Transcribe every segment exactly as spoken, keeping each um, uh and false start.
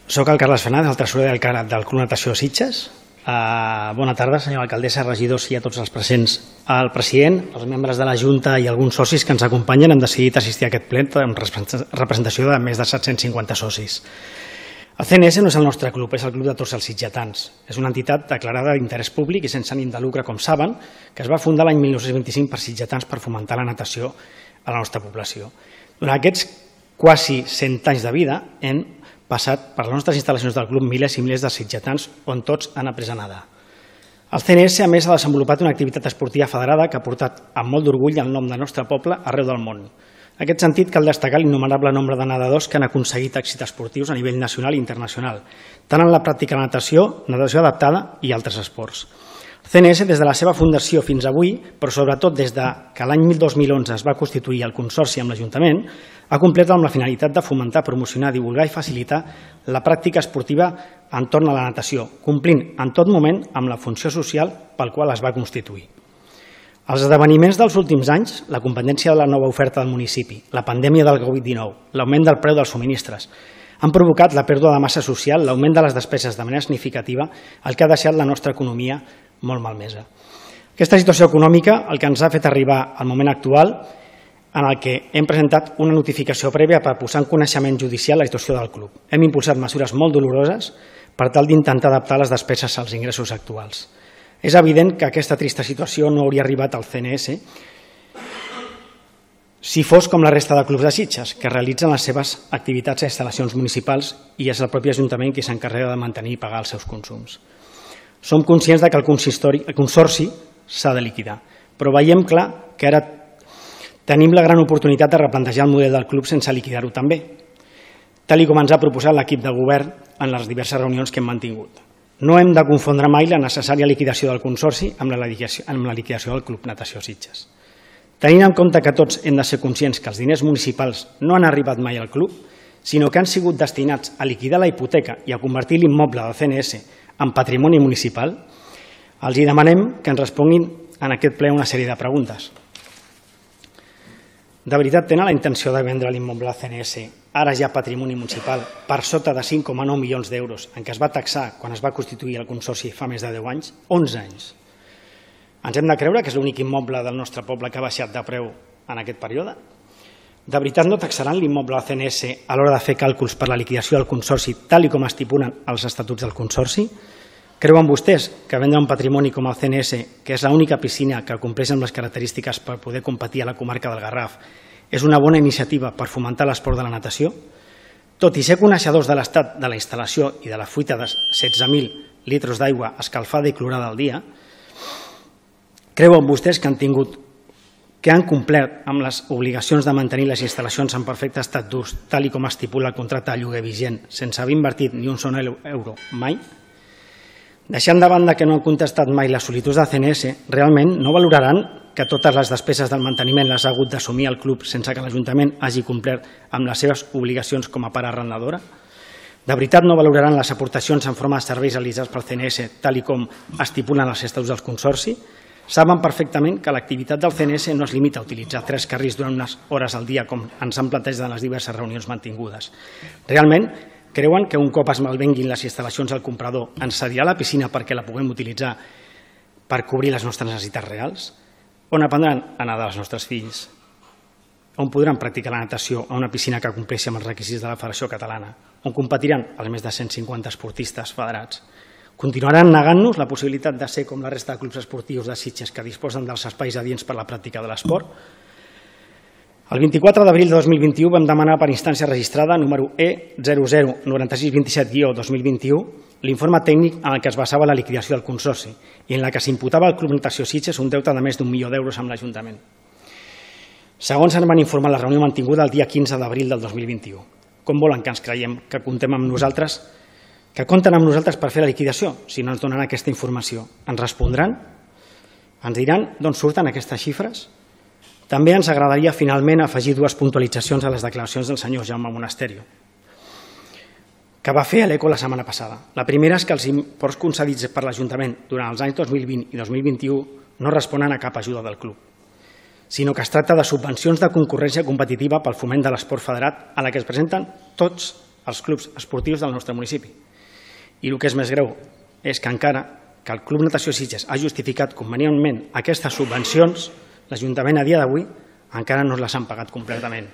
Soc el Carles Fernández, el tresorer del, del Club Natació Sitges. Uh, bona tarda, senyora alcaldessa, regidors i a tots els presents. El president, els membres de la Junta i alguns socis que ens acompanyen han decidit assistir a aquest ple amb representació de més de set-cents cinquanta socis. El C N S no és el nostre club, és el club de tots els sitgetans. És una entitat declarada d'interès públic i sense ànim de lucre, com saben, que es va fundar l'any mil nou-cents vint-i-cinc per sitgetans per fomentar la natació a la nostra població. Durant aquests quasi cent anys de vida hem passat per les nostres instal·lacions del club milers i milers de sitgetans on tots han après a nedar. El C N S, a més, ha desenvolupat una activitat esportiva federada que ha portat amb molt d'orgull el nom del nostre poble arreu del món. En aquest sentit, cal destacar l'innumerable nombre de nedadors que han aconseguit èxits esportius a nivell nacional i internacional, tant en la pràctica de natació, natació adaptada i altres esports. El C N S, des de la seva fundació fins avui, però sobretot des que l'any dos mil onze es va constituir el Consorci amb l'Ajuntament, ha complert amb la finalitat de fomentar, promocionar, divulgar i facilitar la pràctica esportiva entorn a la natació, complint en tot moment amb la funció social pel qual es va constituir. Els esdeveniments dels últims anys, la competència de la nova oferta del municipi, la pandèmia del Covid dinou, l'augment del preu dels subministres, han provocat la pèrdua de massa social, l'augment de les despeses de manera significativa, el que ha deixat la nostra economia molt malmesa. Aquesta situació econòmica el que ens ha fet arribar al moment actual en el que hem presentat una notificació prèvia per posar en coneixement judicial la situació del club. Hem impulsat mesures molt doloroses per tal d'intentar adaptar les despeses als ingressos actuals. És evident que aquesta trista situació no hauria arribat al C N S si fos com la resta de clubs de Sitges, que realitzen les seves activitats a instal·lacions municipals i és el propi Ajuntament qui s'encarrega de mantenir i pagar els seus consums. Som conscients que el consorci s'ha de liquidar, però veiem clar que ara tenim la gran oportunitat de replantejar el model del club sense liquidar-ho també, tal com ens ha proposat l'equip de govern en les diverses reunions que hem mantingut. No hem de confondre mai la necessària liquidació del consorci amb la liquidació del Club Natació Sitges. Tenint en compte que tots hem de ser conscients que els diners municipals no han arribat mai al club, sinó que han sigut destinats a liquidar la hipoteca i a convertir l'immoble del C N S en patrimoni municipal, els demanem que ens responguin en aquest ple una sèrie de preguntes. De veritat tenen la intenció de vendre l'immoble al C N S, ara ja patrimoni municipal, per sota de cinc coma nou milions d'euros, en què es va taxar quan es va constituir el consorci fa més de deu anys, onze anys? Ens hem de creure que és l'únic immoble del nostre poble que ha baixat de preu en aquest període? De veritat no taxaran l'immoble al C N S a l'hora de fer càlculs per la liquidació del consorci tal com estipulen els estatuts del consorci? Creuen vostès que vendre un patrimoni com el C N S, que és l'única piscina que compleix amb les característiques per poder competir a la comarca del Garraf, és una bona iniciativa per fomentar l'esport de la natació? Tot i ser coneixedors de l'estat de la instal·lació i de la fuita de setze mil litres d'aigua escalfada i clorada al dia, creuen vostès que han tingut que han complert amb les obligacions de mantenir les instal·lacions en perfecte estat d'ús, tal com estipula el contracte de lloguer vigent, sense haver invertit ni un sol euro mai? Deixant de banda que no han contestat mai les sol·licituds del C N S, realment no valoraran que totes les despeses del manteniment les ha hagut d'assumir el club sense que l'Ajuntament hagi complert amb les seves obligacions com a part arrendadora? De veritat no valoraran les aportacions en forma de serveis realitzats pel C N S, tal com estipulen els estatuts del consorci? Saben perfectament que l'activitat del C N S no es limita a utilitzar tres carrils durant unes hores al dia, com ens han plantejat en les diverses reunions mantingudes. Realment, creuen que un cop es malvenguin les instal·lacions al comprador ens cedirà la piscina perquè la puguem utilitzar per cobrir les nostres necessitats reals? On aprendran a nedar els nostres fills? On podran practicar la natació a una piscina que compleixi amb els requisits de la Federació Catalana? On competiran els més de cent cinquanta esportistes federats? Continuaran negant-nos la possibilitat de ser com la resta de clubs esportius de Sitges que disposen dels espais adients per a la pràctica de l'esport? El vint-i-quatre d'abril de dos mil vint-i-u vam demanar per instància registrada número E zero zero nou sis dos set dos mil vint-i-u l'informe tècnic en el que es basava la liquidació del consorci i en la que s'imputava al Club Natació Sitges un deute de més d'un milió d'euros amb l'Ajuntament. Segons ens van informar la reunió mantinguda el dia quinze d'abril del dos mil vint-i-u. Com volen que ens creiem que comptem amb nosaltres, que compten amb nosaltres per fer la liquidació si no ens donen aquesta informació? Ens respondran? Ens diran d'on surten aquestes xifres? També ens agradaria finalment afegir dues puntualitzacions a les declaracions del senyor Jaume Monasterio, que va fer a l'Eco la setmana passada. La primera és que els imports concedits per l'Ajuntament durant els anys dos mil vint i dos mil vint-i-u no responen a cap ajuda del club, sinó que es tracta de subvencions de concurrència competitiva pel foment de l'esport federat a la que es presenten tots als clubs esportius del nostre municipi. I el que és més greu és que encara que el Club Natació Sitges ha justificat convenientment aquestes subvencions, l'Ajuntament a dia d'avui encara no les han pagat completament.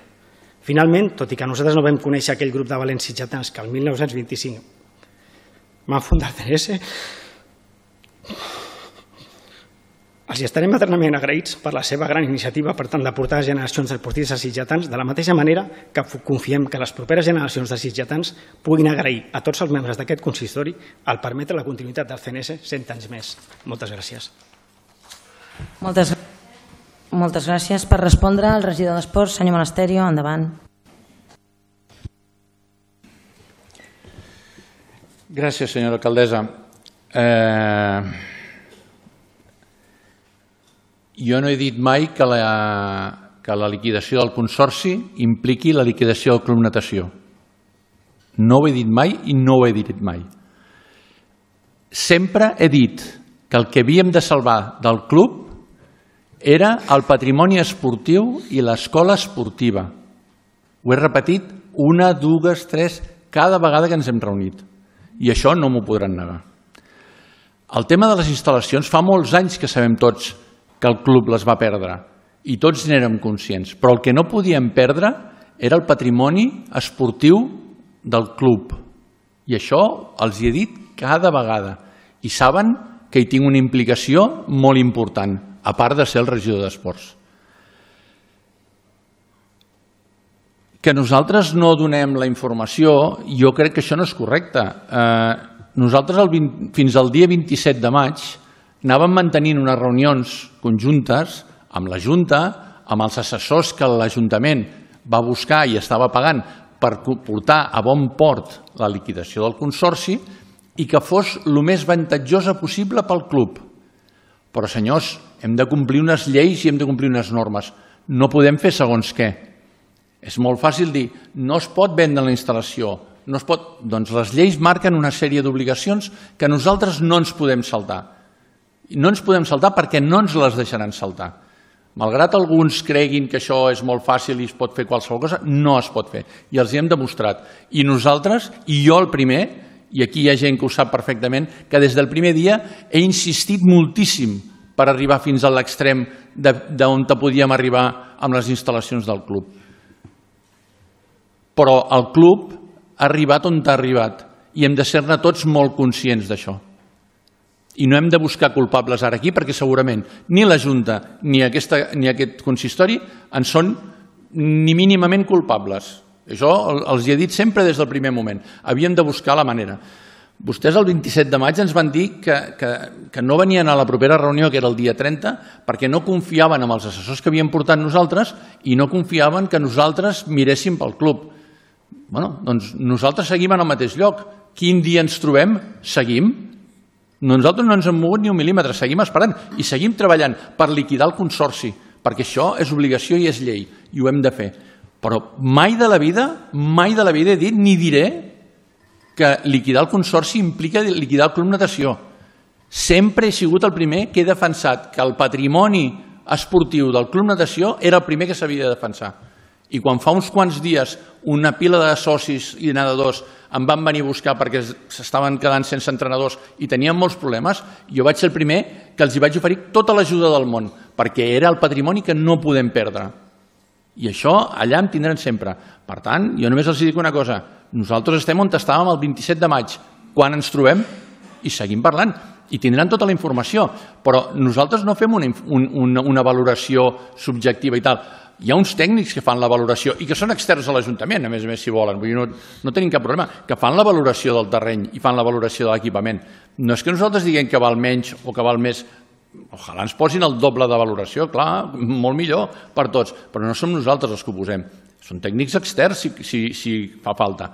Finalment, tot i que nosaltres no vam conèixer aquell grup de valents sitgetans que el mil nou-cents vint-i-cinc van fundar el C N S, els estarem eternament agraïts per la seva gran iniciativa per tant de portar generacions esportistes sitgetans, de la mateixa manera que confiem que les properes generacions de sitgetans puguin agrair a tots els membres d'aquest consistori el permetre la continuïtat del C N S cent anys més. Moltes gràcies. Moltes, moltes gràcies. Per respondre, el regidor d'Esports, senyor Monasterio, endavant. Gràcies, senyora alcaldessa. Eh... Jo no he dit mai que la, que la liquidació del consorci impliqui la liquidació del Club Natació. No ho he dit mai i no ho he dit mai. Sempre he dit que el que havíem de salvar del club era el patrimoni esportiu i l'escola esportiva. Ho he repetit una, dues, tres, cada vegada que ens hem reunit. I això no m'ho podran negar. El tema de les instal·lacions, fa molts anys que sabem tots que el club les va perdre i tots n'érem conscients, però el que no podíem perdre era el patrimoni esportiu del club i això els hi he dit cada vegada i saben que hi tinc una implicació molt important, a part de ser el regidor d'Esports. Que nosaltres no donem la informació, jo crec que això no és correcte. Eh, nosaltres el vint, fins al dia vint-i-set de maig anàvem mantenint unes reunions conjuntes amb la Junta, amb els assessors que l'Ajuntament va buscar i estava pagant per portar a bon port la liquidació del consorci i que fos el més avantatjosa possible pel club. Però, senyors, hem de complir unes lleis i hem de complir unes normes. No podem fer segons què. És molt fàcil dir, no es pot vendre la instal·lació, no es pot... Doncs les lleis marquen una sèrie d'obligacions que nosaltres no ens podem saltar. No ens podem saltar perquè no ens les deixaran saltar. Malgrat alguns creguin que això és molt fàcil i es pot fer qualsevol cosa, no es pot fer. I els hi hem demostrat. I nosaltres, i jo el primer, i aquí hi ha gent que ho sap perfectament, que des del primer dia he insistit moltíssim per arribar fins a l'extrem d'on podíem arribar amb les instal·lacions del club. Però el club ha arribat on ha arribat i hem de ser-ne tots molt conscients d'això. I no hem de buscar culpables ara aquí perquè segurament ni la Junta ni, aquesta, ni aquest consistori en són ni mínimament culpables. Això els hi he dit sempre des del primer moment. Havíem de buscar la manera. Vostès el vint-i-set de maig ens van dir que, que, que no venien a la propera reunió, que era el dia trenta, perquè no confiaven en els assessors que havíem portat nosaltres i no confiaven que nosaltres miréssim pel club. Bueno, doncs nosaltres seguim en el mateix lloc. Quin dia ens trobem? Seguim. Nosaltres no ens hem mogut ni un mil·límetre, seguim esperant i seguim treballant per liquidar el consorci, perquè això és obligació i és llei, i ho hem de fer. Però mai de la vida, mai de la vida he dit ni diré que liquidar el consorci implica liquidar el Club Natació. Sempre he sigut el primer que he defensat que el patrimoni esportiu del Club Natació era el primer que s'havia de defensar. I quan fa uns quants dies una pila de socis i nedadors em van venir a buscar perquè s'estaven quedant sense entrenadors i tenien molts problemes, jo vaig ser el primer que els hi vaig oferir tota l'ajuda del món, perquè era el patrimoni que no podem perdre. I això allà em tindran sempre. Per tant, jo només els dic una cosa, nosaltres estem on estàvem el vint-i-set de maig, quan ens trobem i seguim parlant. I tindran tota la informació, però nosaltres no fem una, una, una valoració subjectiva i tal. Hi ha uns tècnics que fan la valoració i que són externs a l'Ajuntament, a més a més, si volen. Vull dir, no, no tenim cap problema, que fan la valoració del terreny i fan la valoració de l'equipament. No és que nosaltres diguem que val menys o que val més. Ojalà ens posin el doble de valoració, clar, molt millor per tots, però no som nosaltres els que ho posem. Són tècnics externs, si, si, si fa falta.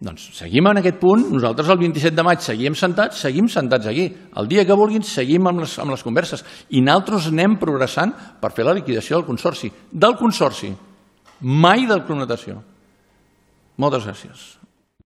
Doncs seguim en aquest punt, nosaltres el vint-i-set de maig seguim sentats, seguim sentats aquí. El dia que vulguin seguim amb les, amb les converses i nosaltres anem progressant per fer la liquidació del consorci. Del consorci, mai del Club Natació. Moltes gràcies.